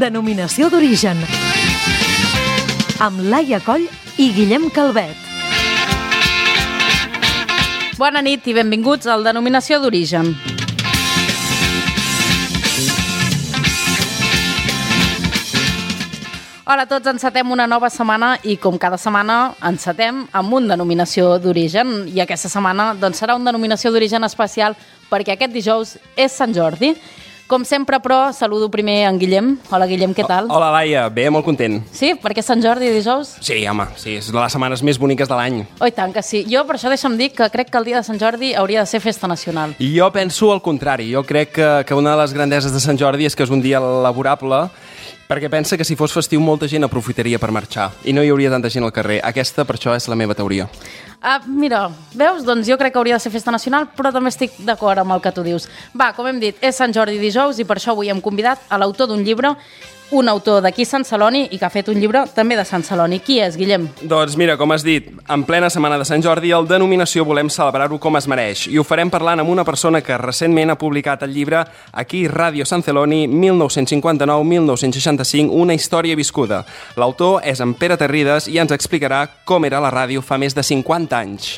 Denominació d'origen. Amb Laia Coll i Guillem Calvet. Bona nit i benvinguts al Denominació d'origen. Hola a tots, encetem una nova setmana i com cada setmana encetem amb un denominació d'origen i aquesta setmana doncs, serà una denominació d'origen especial perquè aquest dijous és Sant Jordi. Com sempre, però, saludo primer en Guillem. Hola, Guillem, què tal? Hola, Laia. Bé, molt content. Sí? Perquè és Sant Jordi dijous? Sí, home, sí, és de les setmanes més boniques de l'any. Oh, i tant que sí. Jo, per això, deixa'm dir que crec que el dia de Sant Jordi hauria de ser festa nacional. I jo penso el contrari. Jo crec que una de les grandeses de Sant Jordi és que és un dia laborable, perquè pensa que si fos festiu molta gent aprofitaria per marxar i no hi hauria tanta gent al carrer. Aquesta, per això, és la meva teoria. Mira, veus? Doncs jo crec que hauria de ser festa nacional, però també estic d'acord amb el que tu dius. Va, com hem dit, és Sant Jordi dijous i per això avui hem convidat a l'autor d'un llibre, un autor d'aquí Sant Celoni i que ha fet un llibre també de Sant Celoni. Qui és, Guillem? Doncs mira, com has dit, en plena setmana de Sant Jordi, el Denominació volem celebrar-ho com es mereix i ho farem parlant amb una persona que recentment ha publicat el llibre Aquí Ràdio Sant Celoni, 1959-1965, una història viscuda. L'autor és en Pere Terrides i ens explicarà com era la ràdio fa més de 50 anys.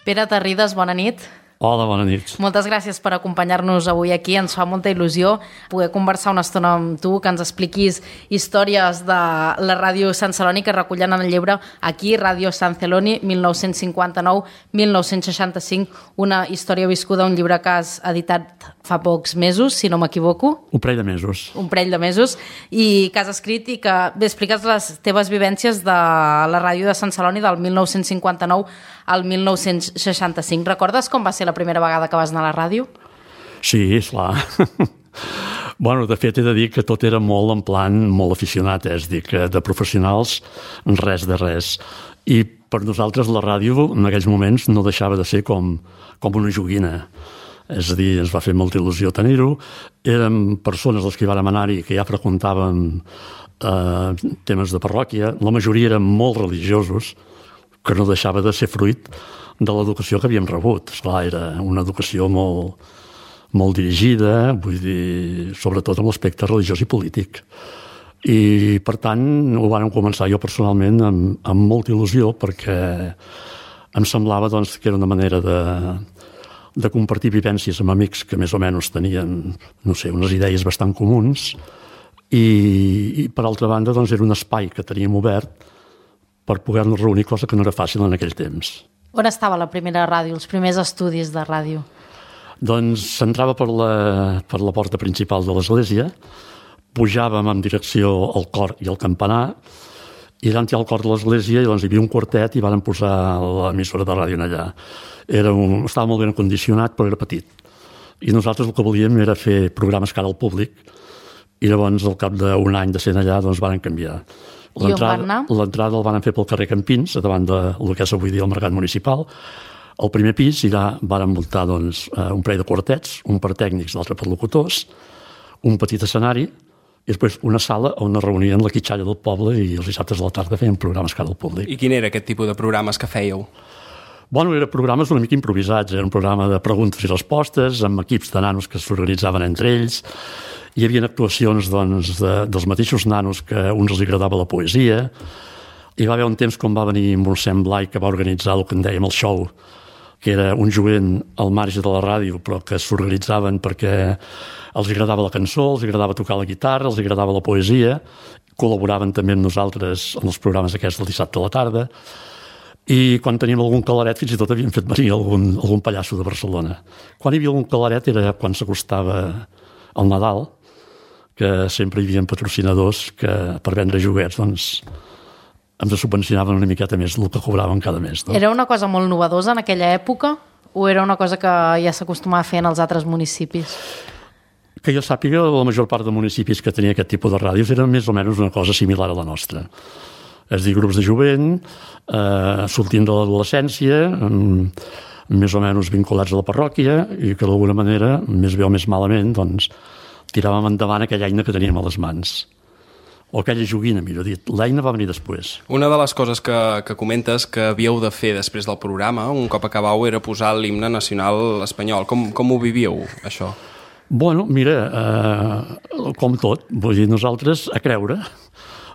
Pere Terrides, bona nit. Hola, bona nit. Moltes gràcies per acompanyar-nos avui aquí. Ens fa molta il·lusió poder conversar una estona amb tu, que ens expliquis històries de la ràdio Sant Celoni que recullen en el llibre Aquí, Ràdio Sant Celoni, 1959-1965, una història viscuda, un llibre que has editat fa pocs mesos, si no m'equivoco. Un parell de mesos. Un parell de mesos, i que has escrit i que bé, expliques les teves vivències de la ràdio de Sant Celoni del 1959 al 1965. Recordes com va ser la primera vegada que vas anar a la ràdio? Sí, esclar. Bueno, de fet, he de dir que tot era molt en plan, molt aficionat, és dir, que de professionals, res de res. I per nosaltres la ràdio, en aquells moments, no deixava de ser com una joguina. És a dir, ens va fer molta il·lusió tenir-ho. Érem persones les que hi vàrem anar-hi que ja freqüentàvem temes de parròquia. La majoria eren molt religiosos, que no deixava de ser fruit de l'educació que havíem rebut. Esclar, era una educació molt dirigida, vull dir, sobretot en l'aspecte religiós i polític. I, per tant, ho vam començar jo personalment amb molta il·lusió, perquè em semblava doncs, que era una manera de compartir vivències amb amics que més o menys tenien, no sé, unes idees bastant comuns, i per altra banda, doncs, era un espai que teníem obert per poder-nos reunir, cosa que no era fàcil en aquell temps. On estava la primera ràdio, els primers estudis de ràdio? Doncs s'entrava per la porta principal de l'església, pujàvem en direcció al cor i al campanar, i allà al cor de l'església doncs, hi havia un quartet i vàrem posar l'emissora de ràdio allà. Estava molt ben condicionat, però era petit. I nosaltres el que volíem era fer programes cara al públic, i llavors, al cap d'un any de ser allà, doncs vàrem canviar. I on van anar? L'entrada el van fer pel carrer Campins, davant del que és avui dia el mercat municipal. Al primer pis, i allà vàrem muntar doncs, un parell de quartets, un per tècnics, l'altre per locutors, un petit escenari, i després una sala on es reunien la quitxalla del poble i els dissabtes a la tarda feien programes cara al públic. I quin era aquest tipus de programes que fèieu? Bueno, eren programes una mica improvisats, era un programa de preguntes i respostes, amb equips de nanos que s'organitzaven entre ells. Hi havia actuacions doncs, dels mateixos nanos que a uns els agradava la poesia. Hi va haver un temps quan va venir Mossèn Blai, que va organitzar el que en dèiem el show, que era un jovent al marge de la ràdio, però que s'organitzaven perquè els agradava la cançó, els agradava tocar la guitarra, els agradava la poesia, col·laboraven també amb nosaltres en els programes aquests del dissabte a la tarda, i quan teníem algun calaret fins i tot havíem fet venir algun pallasso de Barcelona. Quan hi havia algun calaret era quan s'acostava el Nadal, que sempre hi havia patrocinadors que per vendre joguets doncs, ens subvencionaven una miqueta més del que cobraven cada mes. No? Era una cosa molt novedosa en aquella època o era una cosa que ja s'acostumava a fer en els altres municipis? Que jo sàpiga, la major part de municipis que tenia aquest tipus de ràdios eren més o menys una cosa similar a la nostra. És a dir, grups de jovent, sortint de l'adolescència, més o menys vinculats a la parròquia i que d'alguna manera, més bé o més malament, doncs, tiràvem endavant aquella eina que teníem a les mans. o aquella joguina, millor dit. L'eina va venir després. Una de les coses que comentes que havíeu de fer després del programa, un cop acabau, era posar l'himne nacional espanyol. Com ho vivíeu, això? Bueno, mira, com tot, vull dir, nosaltres a creure,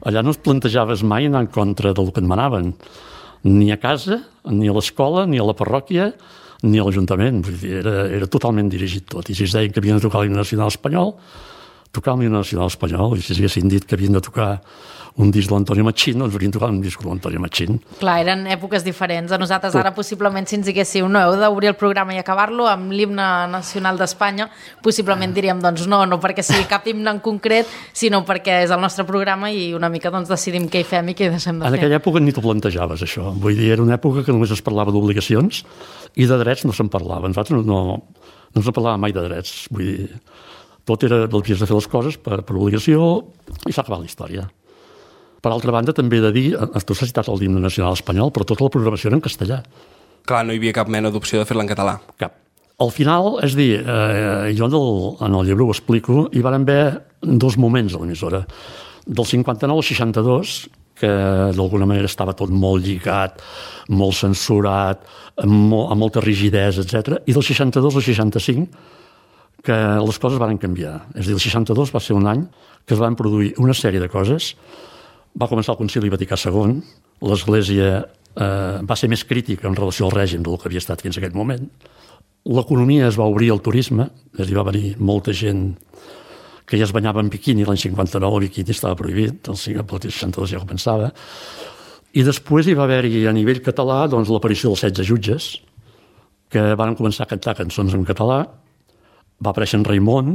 allà no es plantejaves mai anar en contra del que et manaven, ni a casa, ni a l'escola, ni a la parròquia, ni a l'Ajuntament. Vull dir, era totalment dirigit tot. I si es deien que havien de tocar l'himne nacional espanyol, tocar l'himne nacional espanyol, i si haguessin dit que havien de tocar un disc de l'Antonio Machín, doncs haurien tocat un disc de l'Antonio Machín. Clar, eren èpoques diferents. A nosaltres ara, possiblement, si ens diguéssiu no, heu d'obrir el programa i acabar-lo amb l'himne nacional d'Espanya, possiblement diríem, doncs no perquè sigui cap himne en concret, sinó perquè és el nostre programa i una mica doncs, decidim què hi fem i què hi deixem de fer. En aquella època ni t'ho plantejaves, això. Vull dir, era una època que només es parlava d'obligacions i de drets no se'n parlava. Nosaltres no ens parlava mai de drets. Vull dir, tot era l'havies de fer les coses per obligació i s'ha acabat la història. Per altra banda, també he de dir, tu has citat el himne nacional espanyol, però tota la programació era en castellà. Clar, no hi havia cap mena d'opció de fer-la en català. Cap. Al final, és dir, jo en el llibre ho explico, hi van haver dos moments a l'emissora. Del 59 al 62, que d'alguna manera estava tot molt lligat, molt censurat, amb molta rigidesa, etc. I del 62 al 65, que les coses van canviar. És a dir, el 62 va ser un any que es van produir una sèrie de coses. Va començar el Concili Vaticà II, l'Església va ser més crítica en relació al règim del que havia estat fins a aquell moment. L'economia es va obrir al turisme, és a dir, va venir molta gent que ja es banyava en biquini. L'any 59 el biquini estava prohibit, el 62 ja començava. I després hi va haver-hi a nivell català doncs, l'aparició dels 16 jutges, que van començar a cantar cançons en català. Va aparèixer en Raimon,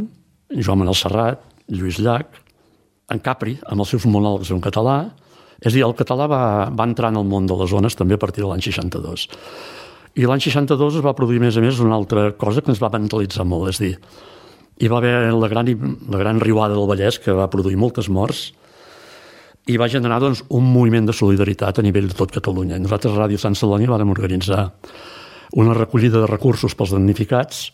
Joan Manuel Serrat, Lluís Llach, en Capri, amb els seus monòlegs en català. És a dir, el català va entrar en el món de les zones també a partir de l'any 62. I l'any 62 es va produir, a més, una altra cosa que ens va vandalitzar molt. És a dir, hi va haver la gran riuada del Vallès, que va produir moltes morts, i va generar doncs, un moviment de solidaritat a nivell de tot Catalunya. I nosaltres a Ràdio Sant Celoni vam organitzar una recollida de recursos pels damnificats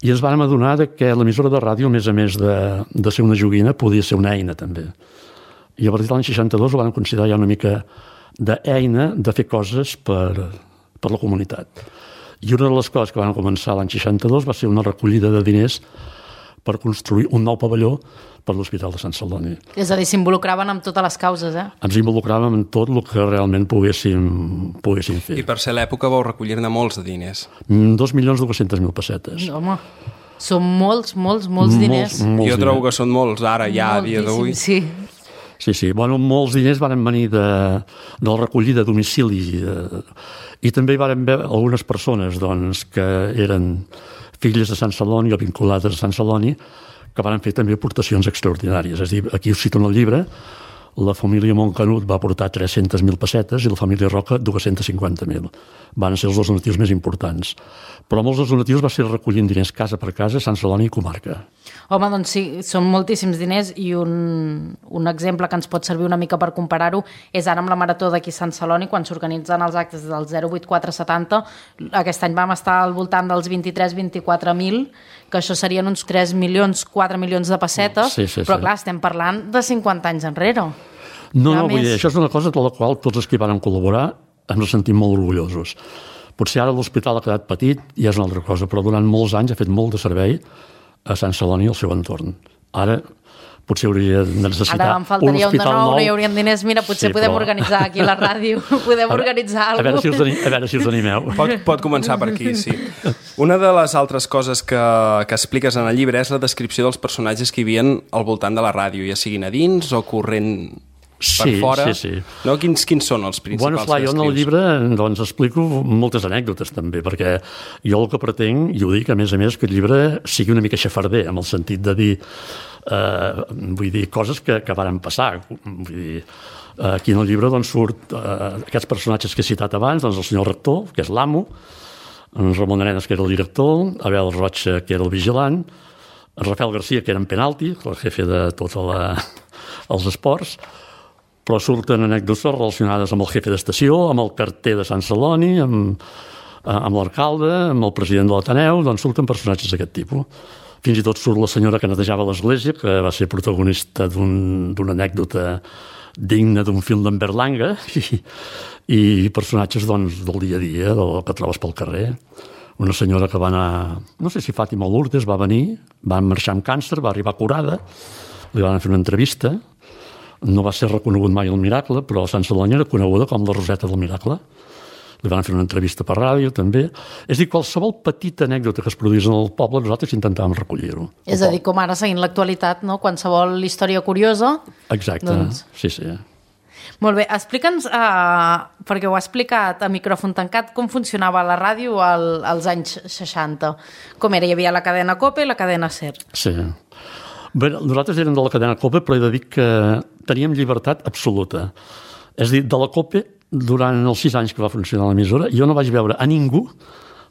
i ens vam adonar que l'emissora de ràdio, a més de ser una joguina, podia ser una eina també. I a partir de l'any 62 ho vam considerar ja una mica d'eina de fer coses per la comunitat. I una de les coses que van començar l'any 62 va ser una recollida de diners per construir un nou pavelló per l'Hospital de Sant Celoni. És a dir, s'involucraven amb totes les causes, Ens involucràvem en tot el que realment poguéssim fer. I per ser l'època vau recollir-ne molts de diners. 2.200.000 pessetes. Home, són molts diners. Jo trobo que són molts, ara, ja, a dia d'avui. Sí. Sí. Bueno, molts diners van venir de la recollida a domicili i també hi van haver algunes persones doncs, que eren filles de Sant Celoni o vinculades a Sant Celoni que van fer també aportacions extraordinàries. És a dir, aquí us cito en el llibre, la família Montcanut va aportar 300.000 pessetes i la família Roca 250.000. Van ser els dos donatius més importants. Però molts dels donatius va ser recollint diners casa per casa, Sant Celoni i comarca. Home, doncs sí, són moltíssims diners i un exemple que ens pot servir una mica per comparar-ho és ara amb la Marató d'aquí a Sant Celoni, quan s'organitzen els actes del 08470. Aquest any vam estar al voltant dels 23-24.000, que això serien uns 3 milions, 4 milions de pessetes, però clar, estem parlant de 50 anys enrere. No, vull dir, això és una cosa de la qual tots els que hi van col·laborar ens sentim molt orgullosos. Potser ara l'hospital ha quedat petit i és una altra cosa, però durant molts anys ha fet molt de servei a Sant Celoni i al seu entorn. Ara potser hauria de necessitar ara em faltaria un de nou, no hi haurien diners. Mira, potser podem organitzar aquí a la ràdio, organitzar alguna cosa. A veure si us animeu. Pot començar per aquí, sí. Una de les altres coses que expliques en el llibre és la descripció dels personatges que hi havien al voltant de la ràdio, ja siguin a dins o corrent per fora. Sí. No? Quins són els principals que escrius? Jo en el llibre doncs, explico moltes anècdotes també, perquè jo el que pretenc, i ho dic a més, que el llibre sigui una mica xafarder, en el sentit de dir vull dir, coses que varen passar. Vull dir, aquí en el llibre doncs, surt aquests personatges que he citat abans, doncs, el senyor rector, que és l'amo, en Ramon Arenas, que era el director, Abel Rocha, que era el vigilant, Rafael García, que era en penalti, el jefe de tots els esports, però surten anècdotes relacionades amb el jefe d'estació, amb el carter de Sant Celoni, amb l'alcalde, amb el president de l'Ateneu, doncs surten personatges d'aquest tipus. Fins i tot surt la senyora que netejava l'església, que va ser protagonista d'una anècdota digna d'un film d'en Berlanga, i personatges doncs, del dia a dia, del que trobes pel carrer. Una senyora que va anar, no sé si Fàtima Lourdes, va venir, va marxar amb càncer, va arribar curada, li van fer una entrevista, no va ser reconegut mai el miracle, però a Sant Celoni era coneguda com la Roseta del Miracle. Li van fer una entrevista per ràdio, també. És a dir, qualsevol petita anècdota que es produís en el poble, nosaltres intentàvem recollir-ho. És a dir, com ara seguint l'actualitat, no? Qualsevol història curiosa... Exacte, doncs... sí. Molt bé, explica'ns, perquè ho ha explicat a micròfon tancat, com funcionava la ràdio als anys 60. Com era? Hi havia la cadena COPE i la cadena SER. Sí. Bé, nosaltres érem de la cadena COPE, però he de dir que teníem llibertat absoluta. És a dir, de la COPE, durant els 6 anys que va funcionar l'emissora, jo no vaig veure a ningú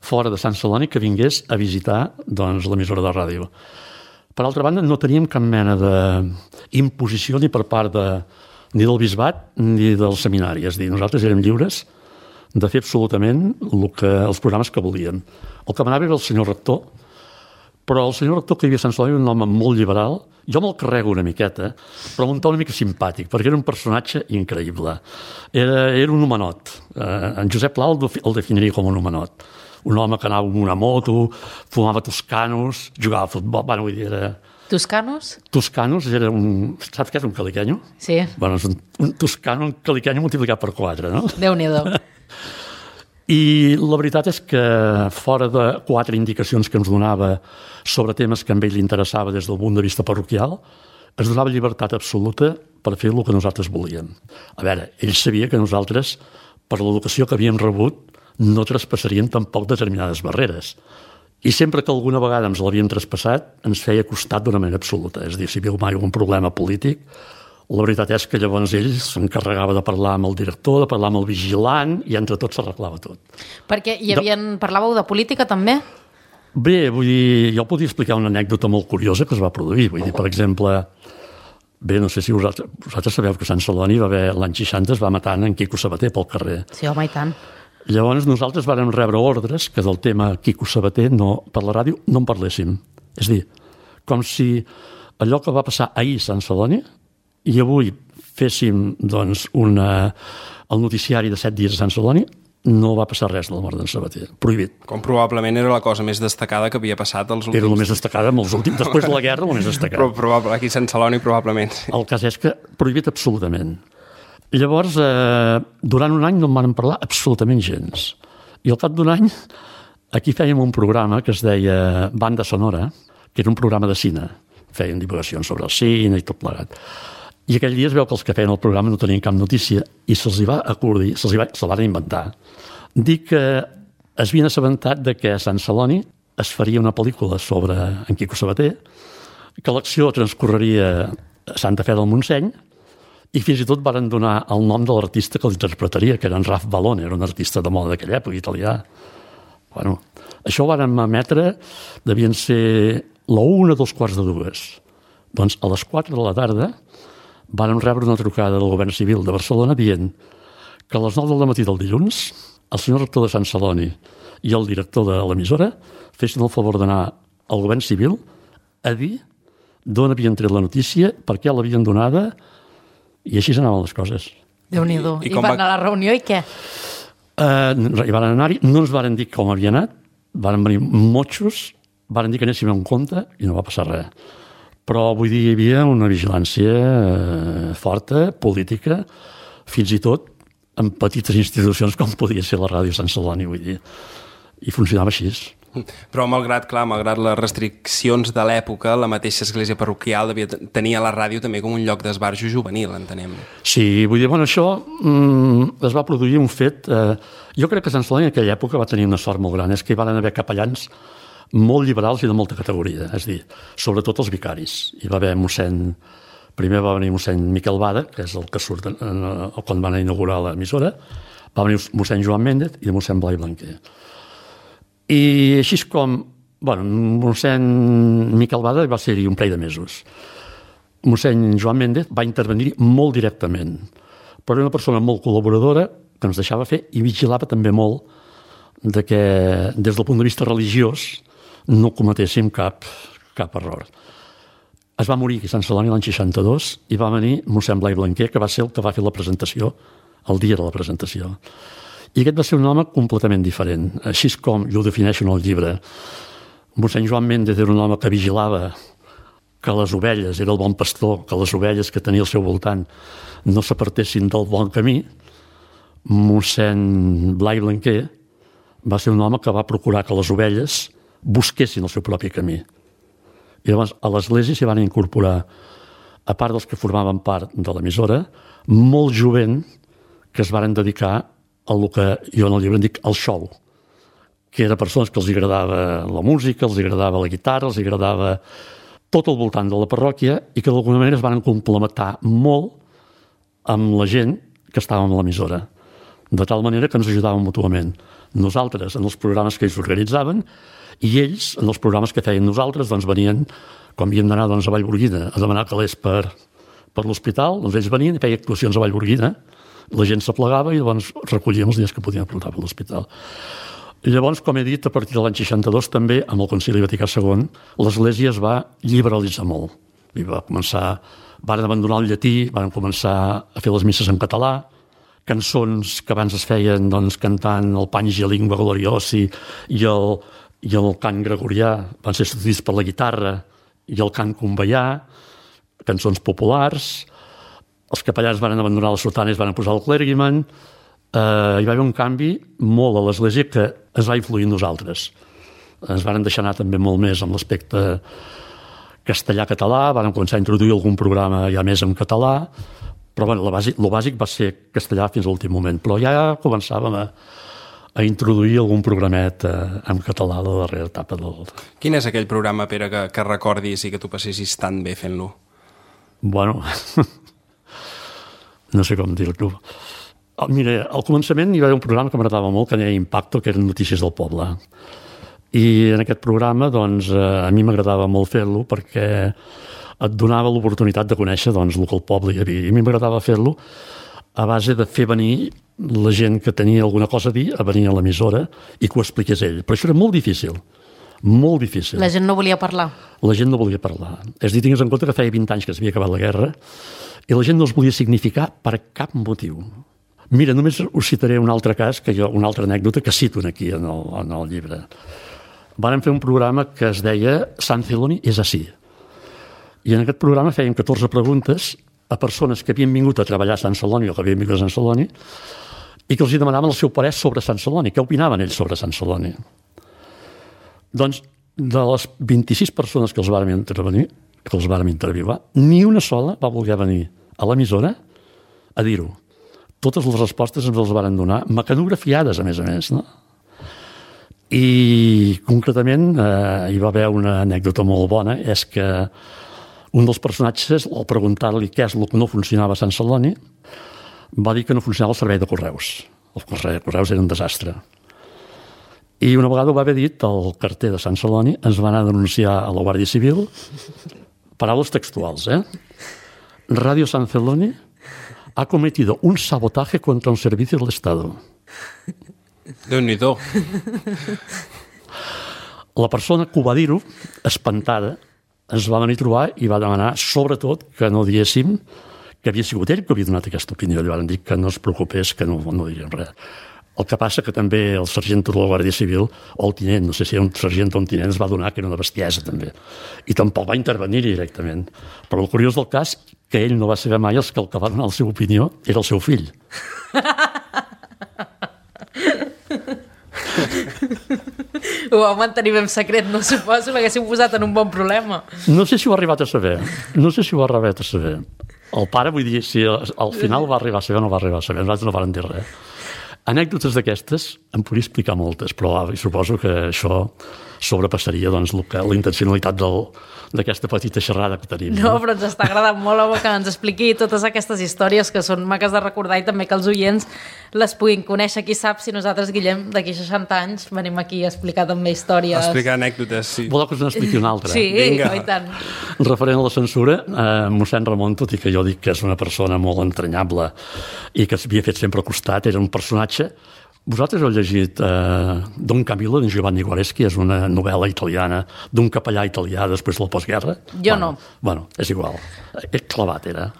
fora de Sant Celoni que vingués a visitar doncs, l'emissora de ràdio. Per altra banda, no teníem cap mena d'imposició ni per part ni del bisbat ni del seminari. És a dir, nosaltres érem lliures de fer absolutament els programes que volíem. El que manava era el senyor rector, però el senyor rector que hi havia a Sant Celoni era un home molt liberal. Jo me'l carrego una miqueta, però un to una mica simpàtic, perquè era un personatge increïble. Era un homenot. En Josep Pla el definiria com un homenot. Un home que anava amb una moto, fumava toscanos, jugava a futbol, vull dir, era... Toscanos? Toscanos era un... Saps què és un caliquenyo? Sí. Bueno, és un toscano, un caliquenyo multiplicat per 4, no? Déu-n'hi-do. I la veritat és que fora de 4 indicacions que ens donava sobre temes que a ell li interessava des del punt de vista parroquial, ens donava llibertat absoluta per fer el que nosaltres volíem. A veure, ell sabia que nosaltres, per l'educació que havíem rebut, no traspassaríem tampoc determinades barreres. I sempre que alguna vegada ens l'havíem traspassat, ens feia costat d'una manera absoluta. És a dir, si hi havia mai algun problema polític, la veritat és que llavors ell s'encarregava de parlar amb el director, de parlar amb el vigilant, i entre tots s'arreglava tot. Perquè parlàveu de política també? Bé, vull dir, jo podria explicar una anècdota molt curiosa que es va produir. Vull dir, per exemple, bé, no sé si vosaltres sabeu que a Sant Celoni l'any 60 es va matant en Quico Sabater pel carrer. Sí, home, i tant. Llavors nosaltres vàrem rebre ordres que del tema Quico Sabater per la ràdio no en parléssim. És a dir, com si allò que va passar ahir a Sant Celoni i avui féssim doncs, el noticiari de 7 dies a Sant Celoni, no va passar res de la mort d'en Sabater. Prohibit. Com probablement era la cosa més destacada que havia passat els últims... Era la més destacada després de la guerra, la més destacada. Probable, aquí a Sant Celoni probablement. Sí. El cas és que prohibit absolutament. Llavors, durant un any no en van parlar absolutament gens. I al cap d'un any, aquí fèiem un programa que es deia Banda Sonora, que era un programa de cine. Feien divulgacions sobre el cine i tot plegat. I aquell dia es veu que els que feien el programa no tenien cap notícia i se'ls va acordir, se'ls van inventar. Dir que es havien assabentat de que a Sant Celoni es faria una pel·lícula sobre en Quico Sabater, que l'acció transcorreria a Santa Fe del Montseny i fins i tot van donar el nom de l'artista que l'interpretaria, que era en Raf Ballone, era un artista de moda d'aquella època, italià. Bueno, això ho van emetre, devien ser la 1 2:15. Doncs a les 4 de la tarda vàrem rebre una trucada del govern civil de Barcelona dient que a les 9 del matí del dilluns el senyor rector de Sant Celoni i el director de l'emissora fessin el favor d'anar al govern civil a dir d'on havien tret la notícia, per què l'havien donada, i així anaven les coses. Déu-n'hi-do. I van anar a la reunió i què? I van anar-hi, no ens varen dir com havia anat, varen venir motxos, varen dir que anéssim en compte i no va passar res. Però, vull dir, hi havia una vigilància forta, política, fins i tot en petites institucions com podia ser la ràdio Sant Celoni, vull dir. I funcionava així. Però malgrat les restriccions de l'època, la mateixa església parroquial tenia la ràdio també com un lloc d'esbarjo juvenil, entenem. Sí, vull dir, bueno, això es va produir un fet... Jo crec que Sant Celoni en aquella època va tenir una sort molt gran, és que hi van haver capellans molt liberals i de molta categoria, és a dir, sobretot els vicaris. Hi va haver primer va venir mossèn Miquel Bada, que és el que surt quan van inaugurar l'emissora, va venir mossèn Joan Méndez i mossèn Blai Blanquer. I així com, mossèn Miquel Bada va ser-hi un parell de mesos. Mossèn Joan Méndez va intervenir molt directament, però era una persona molt col·laboradora que ens deixava fer i vigilava també molt de que des del punt de vista religiós no cometéssim cap cap error. Es va morir aquí a Sant Celoni l'any 62 i va venir mossèn Blai Blanquer, que va ser el que va fer la presentació, el dia de la presentació. I aquest va ser un home completament diferent. Així és com jo ho defineixo en el llibre. Mossèn Joan Méndez era un home que vigilava que les ovelles, era el bon pastor, que les ovelles que tenia al seu voltant no s'apartessin del bon camí. Mossèn Blai Blanquer va ser un home que va procurar que les ovelles busquessin el seu propi camí. I llavors a l'església s'hi van incorporar, a part dels que formaven part de l'emissora, molt jovent que es van dedicar a el que jo en el llibre en dic el show, que eren persones que els agradava la música, els agradava la guitarra, els agradava tot al voltant de la parròquia i que d'alguna manera es van complementar molt amb la gent que estava en l'emissora, de tal manera que ens ajudàvem mútuament. Nosaltres en els programes que ells organitzaven i ells, en els programes que feien nosaltres, doncs venien, quan havíem d'anar a Vallgorguina a demanar calés per l'hospital, doncs ells venien i feien actuacions a Vallgorguina, la gent s'aplegava i llavors recollíem els dies que podien portar per l'hospital. Llavors, com he dit, a partir de l'any 62 també, amb el Concili Vaticà II, l'Església es va liberalitzar molt. I van abandonar el llatí, van començar a fer les misses en català, cançons que abans es feien doncs, cantant el Pange Lingua Gloriosi i el cant gregorià van ser substituïts per la guitarra i el cant conveià, cançons populars. Els capellans van abandonar les sotanes i van posar el clergyman. Hi va haver un canvi molt a l'Església que es va influir en nosaltres. Ens van deixar anar també molt més amb l'aspecte castellà-català, van començar a introduir algun programa ja més en català, però bueno, el bàsic va ser castellà fins a l'últim moment, però ja començàvem a introduir algun programet en català de la darrera etapa del... Quin és aquell programa, Pere, que recordis i que tu passessis tan bé fent-lo? Bueno, no sé com dir-ho. Mira, al començament hi va haver un programa que m'agradava molt, que deia Impacto, que eren notícies del poble. I en aquest programa, doncs, a mi m'agradava molt fer-lo perquè et donava l'oportunitat de conèixer doncs, el que el poble hi havia. I a mi m'agradava fer-lo a base de fer venir la gent que tenia alguna cosa a dir, a venir a l'emissora i que ho expliqués ell. Però això era molt difícil. Molt difícil. La gent no volia parlar. La gent no volia parlar. És a dir, tingues en compte que feia 20 anys que s'havia acabat la guerra i la gent no es volia significar per cap motiu. Mira, només us citaré un altre cas, una altra anècdota que cito aquí en el llibre. Vàrem fer un programa que es deia Sant Celoni és ací. I en aquest programa fèiem 14 preguntes a persones que havien vingut a treballar a Sant Celoni o que havien vingut a Sant Celoni i que els demanaven el seu parer sobre Sant Celoni. Què opinaven ells sobre Sant Celoni? Doncs, de les 26 persones que els vàrem intervievar, ni una sola va voler venir a l'emissora a dir-ho. Totes les respostes ens les varen donar, mecanografiades, a més, no? I, concretament, hi va haver una anècdota molt bona, és que un dels personatges, al preguntar-li què és el que no funcionava a Sant Celoni, va dir que no funcionava el servei de correus. El servei de correus era un desastre. I una vegada ho va haver dit el carter de Sant Celoni, ens va anar a denunciar a la Guàrdia Civil, paraules textuals, Radio San Celoni ha cometido un sabotaje contra un servicio del Estado. Déu-n'hi-do. La persona que ho va dir-ho, espantada, ens va venir a trobar i va demanar, sobretot, que no diéssim que havia sigut ell que havia donat aquesta opinió. Li van dir que no es preocupés, que no diríem res. El que passa que també el sergent de la Guàrdia Civil, o el tinent, no sé si era un sergent o un tinent, es va donar que era una bestiesa, també. I tampoc va intervenir directament. Però el curiós del cas, que ell no va saber mai que el que va donar la seva opinió era el seu fill. Ho va mantenir ben secret, no suposo, l'haguéssim posat en un bon problema. No sé si ho ha arribat a saber. El pare, vull dir, si al final va arribar a saber o no va arribar a saber, nosaltres no vàrem dir res. Anècdotes d'aquestes em podria explicar moltes, però suposo que això sobrepassaria doncs, la intencionalitat d'aquesta petita xerrada que tenim. No, però ens està agradant molt, home, que ens expliqui totes aquestes històries que són maques de recordar i també que els oients les puguin conèixer. Qui sap si nosaltres, Guillem, d'aquí 60 anys venim aquí a explicar també històries. A explicar anècdotes, sí. Voleu que us n'expliqui una altra? Sí, i tant. Referent a la censura, mossèn Ramon, tot i que jo dic que és una persona molt entranyable i que s'havia fet sempre al costat, era un personatge Vosaltres heu llegit Don Camillo, de Giovanni Guareschi, és una novel·la italiana d'un capellà italià després de la postguerra? Jo no. Bueno, és igual. Clavat era.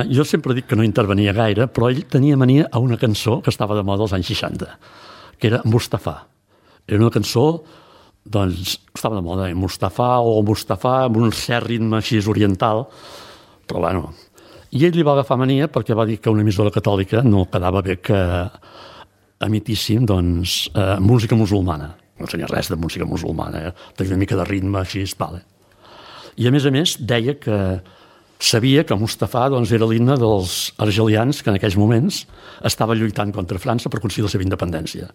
Jo sempre dic que no intervenia gaire, però ell tenia mania a una cançó que estava de moda als anys 60, que era Mustafà. Era una cançó, doncs, estava de moda, Mustafà amb un cert ritme així oriental, però bueno. I ell li va agafar mania perquè va dir que una emissora catòlica no quedava bé que emitíssim, doncs, música musulmana. No tenia res de música musulmana, tenia una mica de ritme així, vale. I a més, deia que sabia que Mustafà doncs, era l'himne dels argelians que en aquells moments estava lluitant contra França per aconseguir la seva independència.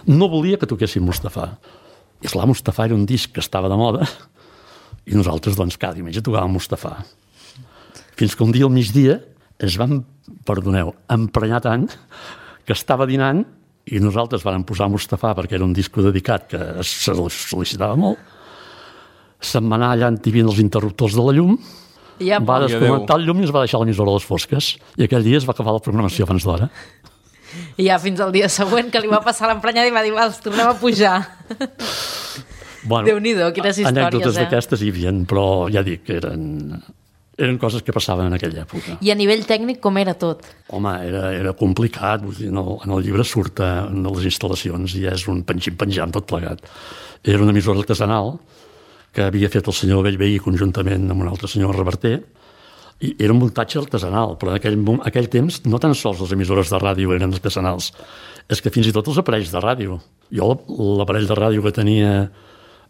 No volia que toquessin Mustafà. I esclar, Mustafà era un disc que estava de moda i nosaltres, doncs, cada diumenge tocàvem Mustafà. Fins que un dia al migdia es van, emprenyar tant que estava dinant i nosaltres vam posar Mustafà perquè era un disco dedicat que se sol·licitava molt. Se'n va anar allà antivint els interruptors de la llum, va desconnectar el llum i es va deixar l'emissora a les fosques. I aquell dia es va acabar la programació abans d'hora. I ja fins al dia següent que li va passar l'emprenyada i va dir, els tornem a pujar. Bueno, Déu-n'hi-do, quines històries, anècdotes d'aquestes hi havia, però ja dic que eren coses que passaven en aquella època. I a nivell tècnic com era tot? Home, era complicat. Vull dir, en el llibre surt en les instal·lacions i és un penjam tot plegat. Era una emissora artesanal que havia fet el senyor Bellveí conjuntament amb un altre senyor Reverter, i era un muntatge artesanal, però en aquell temps no tan sols les emissores de ràdio eren artesanals, és que fins i tot els aparells de ràdio. Jo l'aparell de ràdio que tenia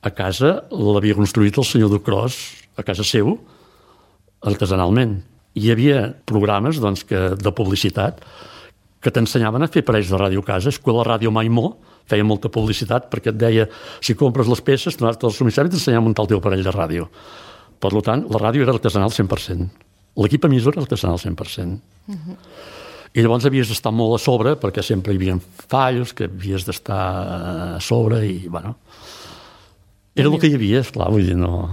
a casa l'havia construït el senyor Ducros a casa seu, artesanalment. Hi havia programes doncs, de publicitat que t'ensenyaven a fer aparells de ràdio a casa. Escola Ràdio Maimó feia molta publicitat perquè et deia si compres les peces, donar-te el subministrament i t'ensenyava a muntar el teu aparell de ràdio. Per tant, la ràdio era artesanal 100%. L'equip emissor era artesanal 100%. I llavors havies d'estar molt a sobre perquè sempre hi havia fallos, que havies d'estar a sobre i, bueno... Era el que hi havia, esclar, vull dir, no...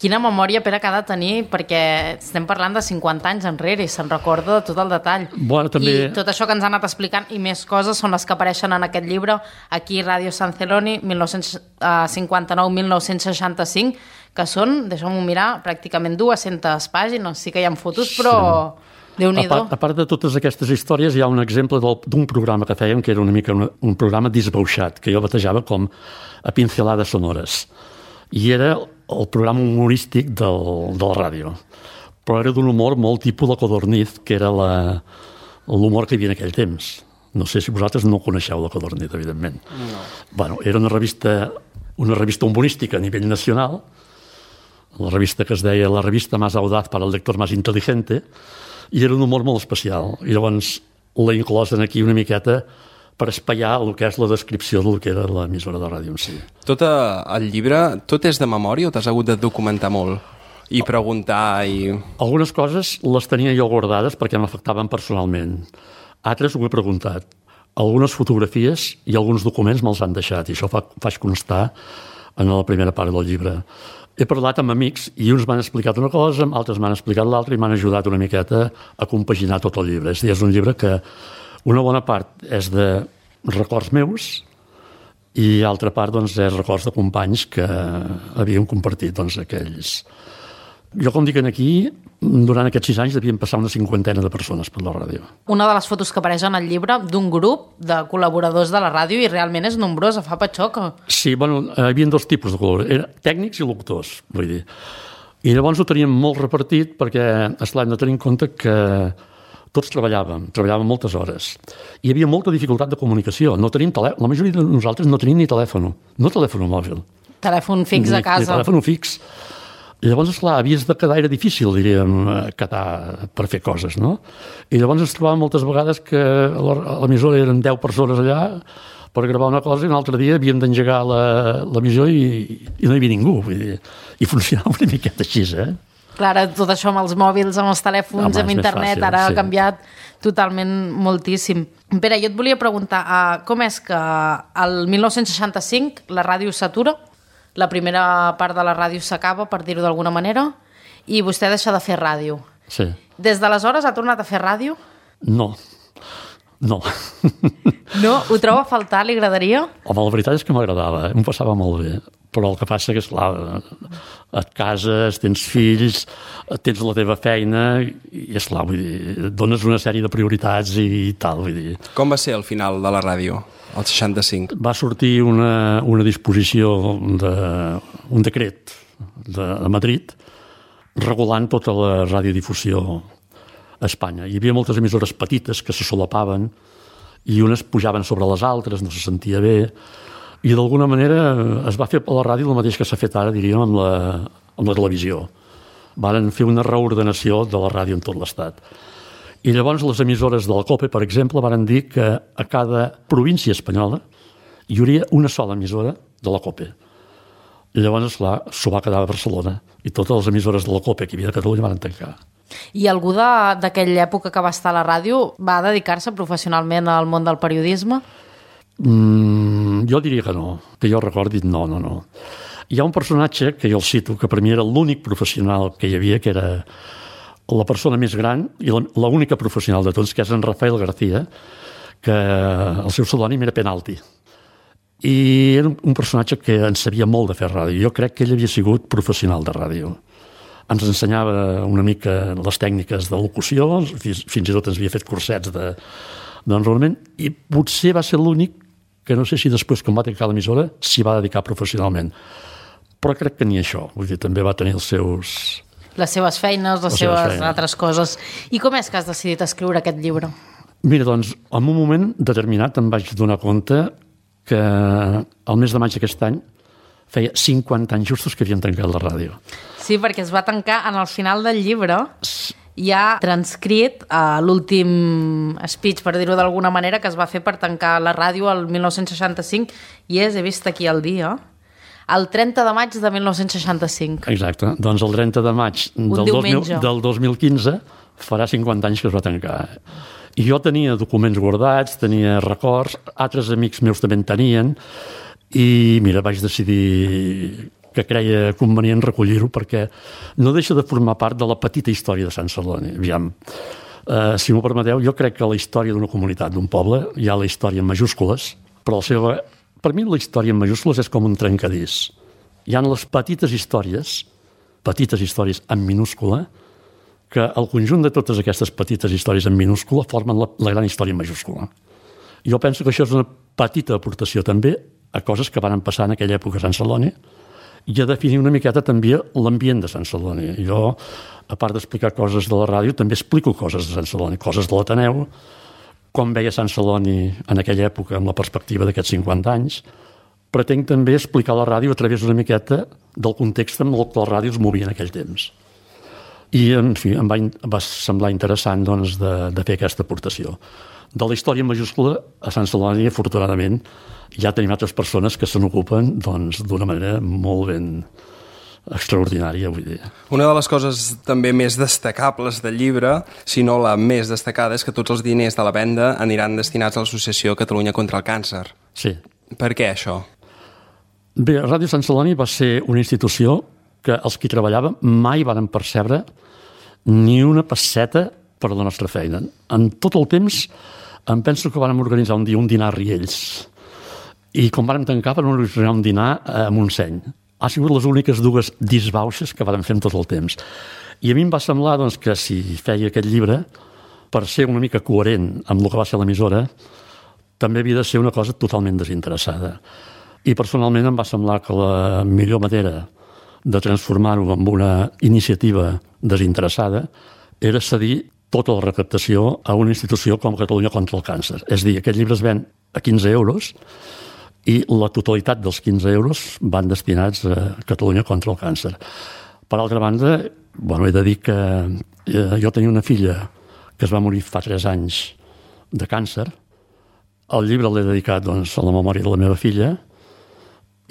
Quina memòria, Pere, que ha de tenir, perquè estem parlant de 50 anys enrere i se'n recorda de tot el detall. Bueno, també... I tot això que ens ha anat explicant i més coses són les que apareixen en aquest llibre, aquí Ràdio San Celoni, 1959-1965, que són, deixeu-m'ho mirar, pràcticament 200 pàgines. Sí que hi ha fotos, però... Sí. Déu-n'hi-do. A part de totes aquestes històries, hi ha un exemple d'un programa que fèiem, que era una mica un programa disbauxat, que jo batejava com a pincelades sonores. I era el programa humorístic de la ràdio. Però era d'un humor molt tipus de Codorniz, que era l'humor que hi havia en aquell temps. No sé si vosaltres no coneixeu la Codorniz, evidentment. No. Bueno, era una revista humorística a nivell nacional, la revista que es deia La revista más audaz para el lector más inteligente, i era un humor molt especial. I llavors l'he inclòs aquí una miqueta per espaiar el que és la descripció del que era l'emissora de ràdio en si. Tot el llibre, tot és de memòria o t'has hagut de documentar molt? I preguntar i... Algunes coses les tenia jo guardades perquè m'afectaven personalment. Altres ho he preguntat. Algunes fotografies i alguns documents me'ls han deixat i això faig constar en la primera part del llibre. He parlat amb amics i uns m'han explicat una cosa, altres m'han explicat l'altra i m'han ajudat una miqueta a compaginar tot el llibre. És a dir, és un llibre que una bona part és de records meus i altra part doncs, és records de companys que havíem compartit doncs, aquells. Jo, com dic aquí, durant aquests 6 anys devien passar una 50ena de persones per la ràdio. Una de les fotos que apareix en el llibre d'un grup de col·laboradors de la ràdio i realment és nombrosa, fa patxoca. Sí, bueno, hi havia 2 tipus de col·laboradors, tècnics i locutors, vull dir. I llavors ho teníem molt repartit perquè, esclar, hem de tenir en compte que tots treballàvem moltes hores. Hi havia molta dificultat de comunicació. No tenim la majoria de nosaltres no tenim ni telèfon, no telèfon mòbil. Telèfon fix a casa. Ni telèfon fix. I llavors, esclar, havies de quedar, era difícil, diríem, quedar per fer coses, no? I llavors ens trobàvem moltes vegades que a l'emissora eren 10 persones allà per gravar una cosa i un altre dia havíem d'engegar l'emissió i no hi havia ningú. Vull dir, i funcionava una miqueta així, Clar, tot això amb els mòbils, amb els telèfons, amb internet, fàcil, ara ha canviat totalment moltíssim. Pere, jo et volia preguntar, com és que el 1965 la ràdio s'atura? La primera part de la ràdio s'acaba, per dir-ho d'alguna manera, i vostè deixa de fer ràdio. Sí. Des d'aleshores ha tornat a fer ràdio? No. No. No? Ho troba a faltar? Li agradaria? Home, la veritat és que m'agradava, em passava molt bé. Però el que passa que, esclar, et cases, tens fills, tens la teva feina i, esclar, vull dir, dones una sèrie de prioritats i tal, vull dir. Com va ser el final de la ràdio, el 65? Va sortir una disposició, un decret de Madrid regulant tota la radiodifusió a Espanya. Hi havia moltes emissores petites que se solapaven i unes pujaven sobre les altres, no se sentia bé, i d'alguna manera es va fer a la ràdio el mateix que s'ha fet ara, diríem, amb la televisió. Varen fer una reordenació de la ràdio en tot l'Estat. I llavors les emissores de la COPE, per exemple, varen dir que a cada província espanyola hi hauria una sola emissora de la COPE. I llavors, esclar, s'ho va quedar a Barcelona i totes les emissores de la COPE que hi havia a Catalunya van tancar. I algú d'aquella època que va estar a la ràdio va dedicar-se professionalment al món del periodisme? Jo diria que no, que jo recordi, no. Hi ha un personatge que jo el cito, que per mi era l'únic professional que hi havia, que era la persona més gran i l'única professional de tots, que és en Rafael García, que el seu pseudònim era Penalti. I era un personatge que en sabia molt de fer ràdio. Jo crec que ell havia sigut professional de ràdio. Ens ensenyava una mica les tècniques de locució, fins i tot ens havia fet cursets d'enrolament, i potser va ser l'únic que no sé si després, quan va tancar l'emissora, s'hi va dedicar professionalment. Però crec que ni això. Vull dir, també va tenir les seves feines, les seves altres coses. I com és que has decidit escriure aquest llibre? Mira, doncs, en un moment determinat em vaig donar compte que el mes de maig d'aquest any feia 50 anys justos que havien tancat la ràdio. Sí, perquè es va tancar en el final del llibre. Hi ha transcrit l'últim speech, per dir-ho d'alguna manera, que es va fer per tancar la ràdio el 1965 i he vist aquí el dia, el 30 de maig de 1965. Exacte, doncs el 30 de maig del 2015 farà 50 anys que es va tancar. I jo tenia documents guardats, tenia records, altres amics meus també en tenien, i mira, vaig decidir que creia convenient recollir-ho perquè no deixa de formar part de la petita història de Sant Celoni. Aviam, si m'ho permeteu, jo crec que la història d'una comunitat, d'un poble, hi ha la història en majúscules, però per mi la història en majúscules és com un trencadís. Hi ha les petites històries en minúscula, que el conjunt de totes aquestes petites històries en minúscula formen la gran història en majúscula. Jo penso que això és una petita aportació també a coses que van passar en aquella època a Sant Celoni i a definir una miqueta també l'ambient de Sant Celoni. Jo, a part d'explicar coses de la ràdio, també explico coses de Sant Celoni, coses de l'Ateneu, com veia Sant Celoni en aquella època amb la perspectiva d'aquests 50 anys. Pretenc també explicar la ràdio a través una miqueta del context amb el que la ràdio es movia en aquell temps. I, en fi, em va semblar interessant doncs, de fer aquesta aportació. De la història en majúscula, a Sant Celoni, afortunadament, ja tenim altres persones que se n'ocupen d'una manera molt ben extraordinària, vull dir. Una de les coses també més destacables del llibre, si no la més destacada, és que tots els diners de la venda aniran destinats a l'Associació Catalunya contra el Càncer. Sí. Per què això? Bé, Ràdio Sant Celoni va ser una institució que els qui treballàvem mai varen percebre ni una pesseta per la nostra feina. En tot el temps em penso que vàrem organitzar un dia un dinar a Riells i quan vàrem tancar vàrem organitzar un dinar a Montseny. Ha sigut les úniques dues disbauxes que vàrem fer en tot el temps. I a mi em va semblar doncs, que si feia aquest llibre, per ser una mica coherent amb el que va ser l'emissora, també havia de ser una cosa totalment desinteressada. I personalment em va semblar que la millor manera de transformar-ho en una iniciativa desinteressada era cedir tota la recaptació a una institució com Catalunya contra el Càncer. És a dir, aquest llibre es ven a 15 euros i la totalitat dels 15 euros van destinats a Catalunya contra el Càncer. Per altra banda, he de dir que jo tenia una filla que es va morir fa 3 anys de càncer. El llibre l'he dedicat a la memòria de la meva filla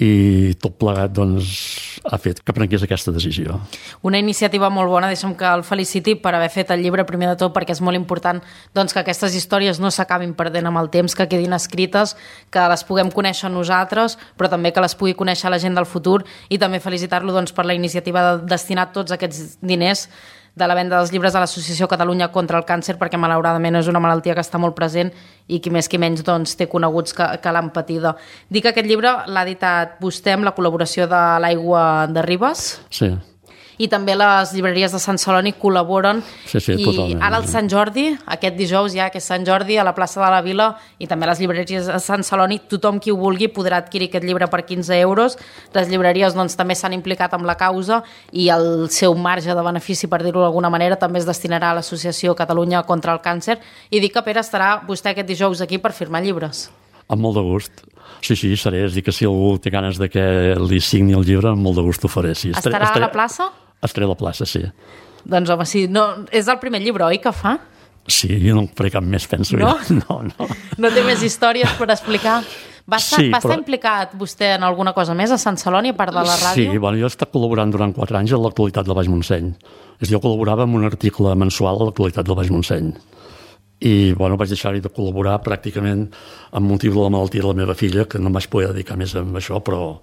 i tot plegat ha fet que prengués aquesta decisió. Una iniciativa molt bona, deixa'm que el feliciti per haver fet el llibre, primer de tot, perquè és molt important que aquestes històries no s'acabin perdent amb el temps, que quedin escrites, que les puguem conèixer nosaltres, però també que les pugui conèixer la gent del futur, i també felicitar-lo per la iniciativa de destinar tots aquests diners de la venda dels llibres de l'Associació Catalunya contra el Càncer, perquè malauradament és una malaltia que està molt present i qui més qui menys doncs, té coneguts que l'han patida. Dic que aquest llibre l'ha editat vostè amb la col·laboració de l'Aigua de Ribes. Sí. I també les llibreries de Sant Celoni col·laboren. Sí, I totalment. ara el Sant Jordi, aquest dijous ja que és Sant Jordi, a la plaça de la Vila i també a les llibreries de Sant Celoni, tothom qui ho vulgui podrà adquirir aquest llibre per 15 euros. Les llibreries doncs, també s'han implicat amb la causa i el seu marge de benefici, per dir-ho d'alguna manera, també es destinarà a l'Associació Catalunya contra el Càncer. I dic que, Pere, estarà vostè aquest dijous aquí per firmar llibres. Amb molt de gust. Sí, seré. És dir, que si algú té ganes de que li signi el llibre, amb molt de gust ho faré. Sí. Estarà a la plaça? Estaré a la plaça, sí. Doncs home, sí. No, és el primer llibre, oi, que fa? Sí, jo no en faré cap més, penso. No? No. No té més històries per explicar? Va estar implicat vostè en alguna cosa més a Sant Celoni, a part de la ràdio? Sí, jo he estat col·laborant durant 4 anys a l'Actualitat del Baix Montseny. Jo col·laborava en un article mensual a l'Actualitat del Baix Montseny. I vaig deixar-hi de col·laborar pràcticament amb motiu de la malaltia de la meva filla, que no em vaig poder dedicar més a això, però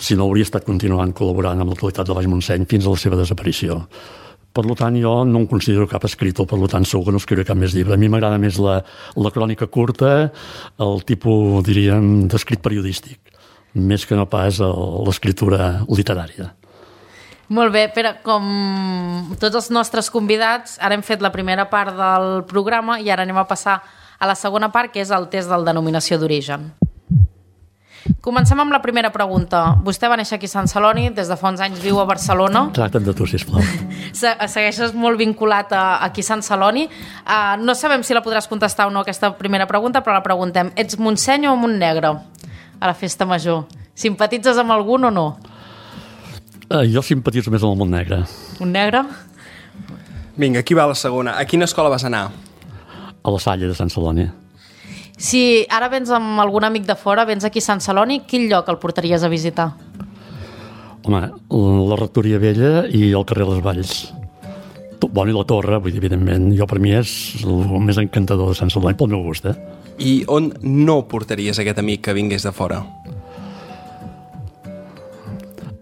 si no hauria estat continuant col·laborant amb l'Actualitat del Baix Montseny fins a la seva desaparició. Per tant, jo no em considero cap escriptor, per tant, segur que no escriuré cap més llibre. A mi m'agrada més la crònica curta, el tipus, diríem, d'escrit periodístic, més que no pas l'escriptura literària. Molt bé, Pere, com tots els nostres convidats, ara hem fet la primera part del programa i ara anem a passar a la segona part, que és el test de denominació d'origen. Comencem amb la primera pregunta. Vostè va néixer aquí a Sant Celoni, des de fa uns anys viu a Barcelona. Tracta't de tu, sisplau. Segueixes molt vinculat aquí a Sant Celoni. No sabem si la podràs contestar o no, aquesta primera pregunta, però la preguntem. Ets Montseny o Montnegre a la festa major? Simpatitzes amb algun o no? Jo simpatitzo més amb el Montnegre. Montnegre? Vinga, aquí va la segona. A quina escola vas anar? A la Salle de Sant Celoni. Si ara vens amb algun amic de fora, vens aquí a Sant Celoni, quin lloc el portaries a visitar? Home, la Rectoria Vella i el carrer Les Valls. I la Torre, vull dir, evidentment, jo per mi és el més encantador de Sant Celoni, pel meu gust, I on no portaries aquest amic que vingués de fora?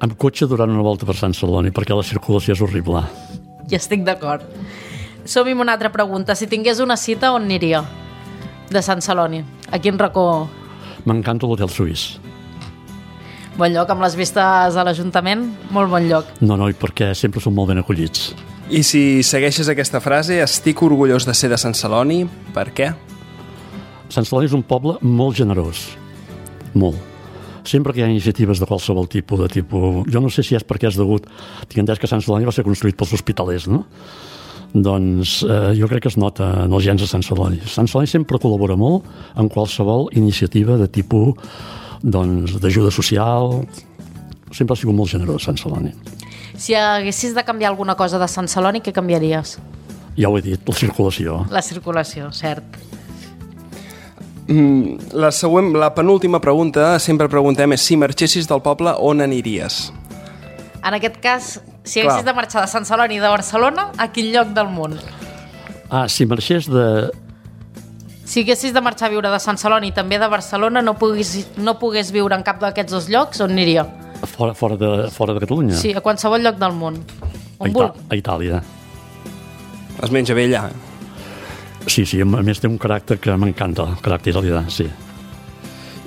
Amb cotxe durant una volta per Sant Celoni, perquè la circulació és horrible. Ja estic d'acord. Som-hi amb una altra pregunta. Si tingués una cita, on aniria? De Sant Celoni. A quin racó? M'encanta l'Hotel Suís. Bon lloc, amb les vistes a l'Ajuntament? Molt bon lloc. No, i perquè sempre són molt ben acollits. I si segueixes aquesta frase, estic orgullós de ser de Sant Celoni, per què? Sant Celoni és un poble molt generós. Molt. Sempre que hi ha iniciatives de qualsevol tipus, jo no sé si és perquè és degut, tinc entès que Sant Celoni va ser construït pels hospitalers, no? Doncs jo crec que es nota en els gens de Sant Celoni. Sant Celoni sempre col·labora molt en qualsevol iniciativa de tipus d'ajuda social. Sempre ha sigut molt generós Sant Celoni. Si haguessis de canviar alguna cosa de Sant Celoni, què canviaries? Ja ho he dit, la circulació. La circulació, cert. La penúltima pregunta, sempre preguntem, és si marxessis del poble, on aniries? En aquest cas, si haguessis de marxar de Sant Celoni i de Barcelona, a quin lloc del món? Si marxés de... Si haguessis de marxar a viure de Sant Celoni i també de Barcelona, no pogués viure en cap d'aquests dos llocs, on aniria? Fora de Catalunya? Sí, a qualsevol lloc del món. A Itàlia. Es menja bé allà? Sí, a més té un caràcter que m'encanta, el caràcter italià, sí.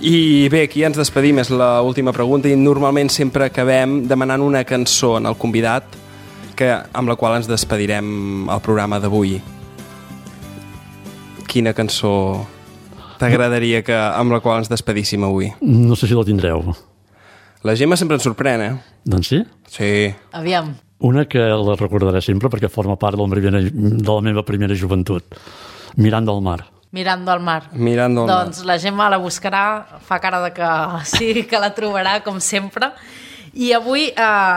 I bé, aquí ens despedim, és l'última pregunta, i normalment sempre acabem demanant una cançó en el convidat amb la qual ens despedirem al programa d'avui. Quina cançó t'agradaria amb la qual ens despedíssim avui? No sé si la tindreu. La Gemma sempre ens sorprèn, Doncs sí? Sí. Aviam. Una que la recordaré sempre perquè forma part de la meva primera joventut. Mirant del mar. Mirant del mar. Mirant del mar. Doncs la Gemma la buscarà, fa cara de que sí, que la trobarà, com sempre. I avui,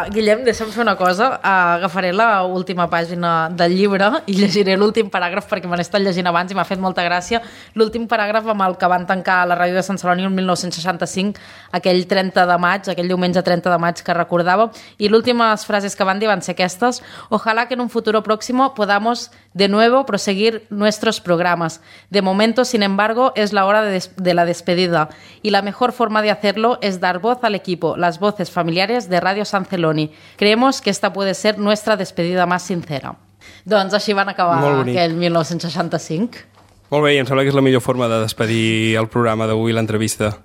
Guillem, deixa'm fer una cosa. Agafaré l'última pàgina del llibre i llegiré l'últim paràgraf perquè me l'he estat llegint abans i m'ha fet molta gràcia. L'últim paràgraf amb el que van tancar la ràdio de Sant Celoni el 1965, aquell 30 de maig, aquell diumenge 30 de maig que recordava. Y las últimas frases que van dir van ser aquestes. Ojalá que en un futuro próximo podamos de nuevo proseguir nuestros programas. De momento, sin embargo, es la hora de la despedida. Y la mejor forma de hacerlo es dar voz al equipo, las voces familiares de Radio San Celoni. Creemos que esta puede ser nuestra despedida más sincera. Doncs així van acabar Molt bonic. aquell 1965. Molt bé, i em sembla que és la millor forma de despedir el programa d'avui, l'entrevista.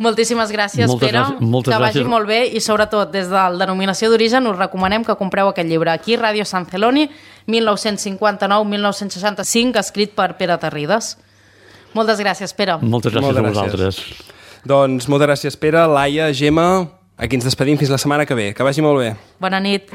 Moltíssimes gràcies, Pere, moltes que vagi gràcies. molt bé i sobretot des del Denominació d'Origen us recomanem que compreu aquest llibre aquí, Ràdio Sant Celoni, 1959-1965, escrit per Pere Tarrides. Moltes gràcies, Pere. Moltes gràcies a vosaltres. Doncs moltes gràcies, Pere, Laia, Gemma. Aquí ens despedim fins la setmana que ve. Que vagi molt bé. Bona nit.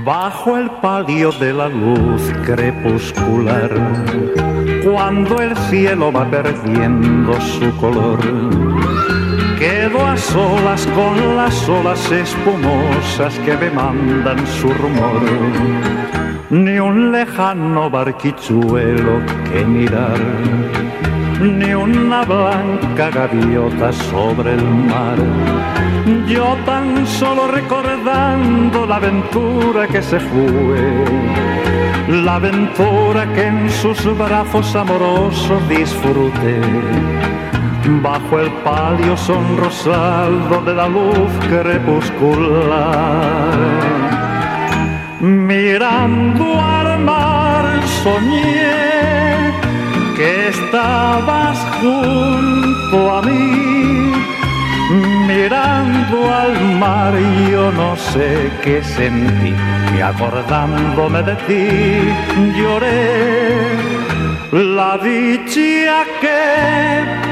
Bajo el palio de la luz crepuscular, cuando el cielo va perdiendo su color, quedo a solas con las olas espumosas que me mandan su rumor. Ni un lejano barquichuelo que mirar, ni una blanca gaviota sobre el mar. Yo tan solo recordando la aventura que se fue, la aventura que en sus brazos amorosos disfruté, bajo el palio sonrosado de la luz crepuscular. Mirando al mar soñé que estabas junto a mí. Mirando al mar yo no sé qué sentí, y acordándome de ti lloré la dicha que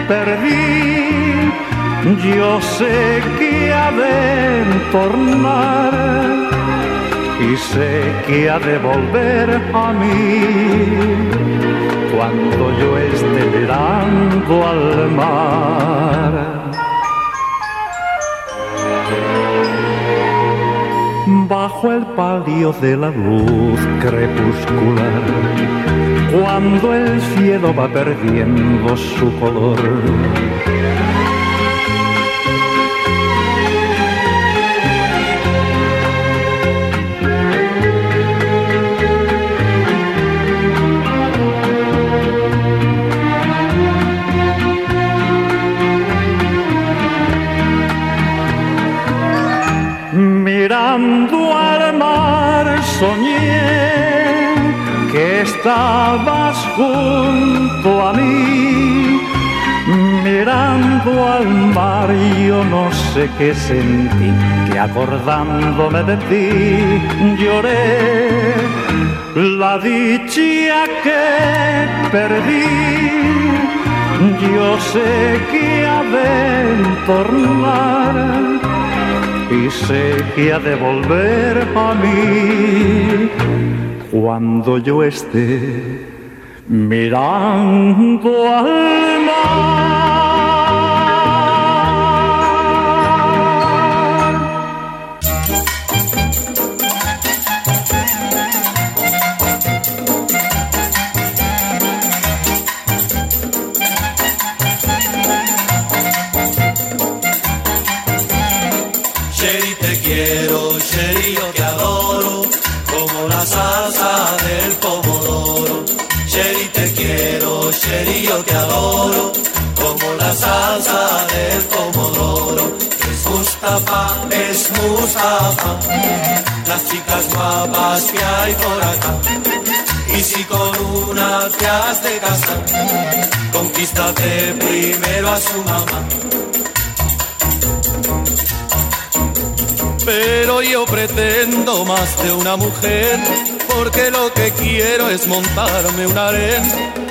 perdí. Yo sé que ha de tornar y sé que ha de volver a mí cuando yo esté mirando al mar. Bajo el palio de la luz crepuscular, cuando el cielo va perdiendo su color, mirando al mar soñé que estabas junto a mí. Mirando al mar yo no sé qué sentí, que acordándome de ti lloré la dicha que perdí. Yo sé que ha de tornar y sé que ha de volver a mí cuando yo esté mirando al mar. Sherry, te quiero, Sherry, yo te adoro, como la salsa del pomodoro. Sherry, te quiero, Sherry, yo te adoro, como la salsa del pomodoro. Es Mustafa, las chicas guapas que hay por acá. Y si con una te has de casar, conquístate primero a su mamá. Pero yo pretendo más de una mujer, porque lo que quiero es montarme un harén.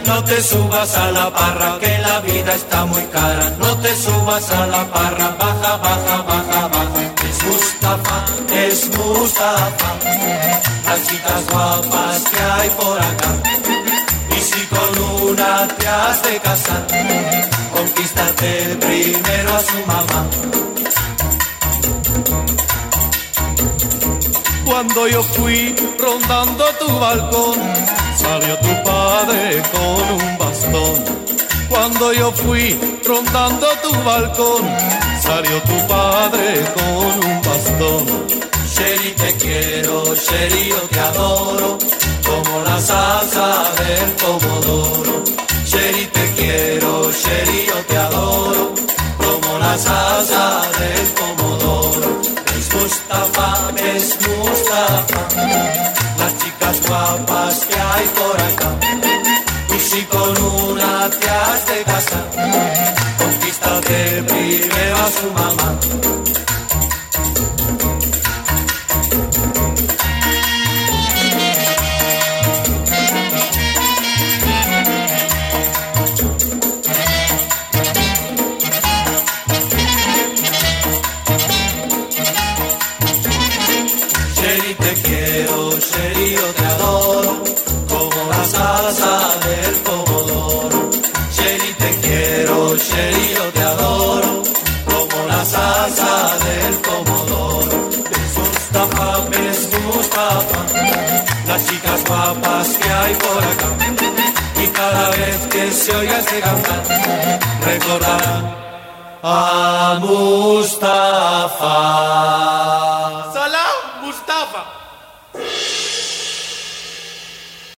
No te subas a la parra, que la vida está muy cara. No te subas a la parra, baja, baja, baja, baja. Es Mustafa, las chicas guapas que hay por acá. Y si con una te has de casar, conquístate primero a su mamá. Cuando yo fui rondando tu balcón, salió tu padre con un bastón. Cuando yo fui rondando tu balcón, salió tu padre con un bastón. Sherry, te quiero, Sherry, yo te adoro, como la salsa del pomodoro. Sherry, te quiero, Sherry, yo te adoro, como la salsa del pomodoro. Es Mustafa, las chicas guapas que hay por acá. Y si con una te has de casar, conquístate primero a su mamá. Sherry, te quiero, Sherry, yo te adoro, como la salsa del pomodoro. Sherry, te quiero, Sherry, yo te adoro, como la salsa del pomodoro. Ves Mustafa, las chicas guapas que hay por acá. Y cada vez que se oiga este cantar, recordarán a Mustafa. Salam, Mustafa.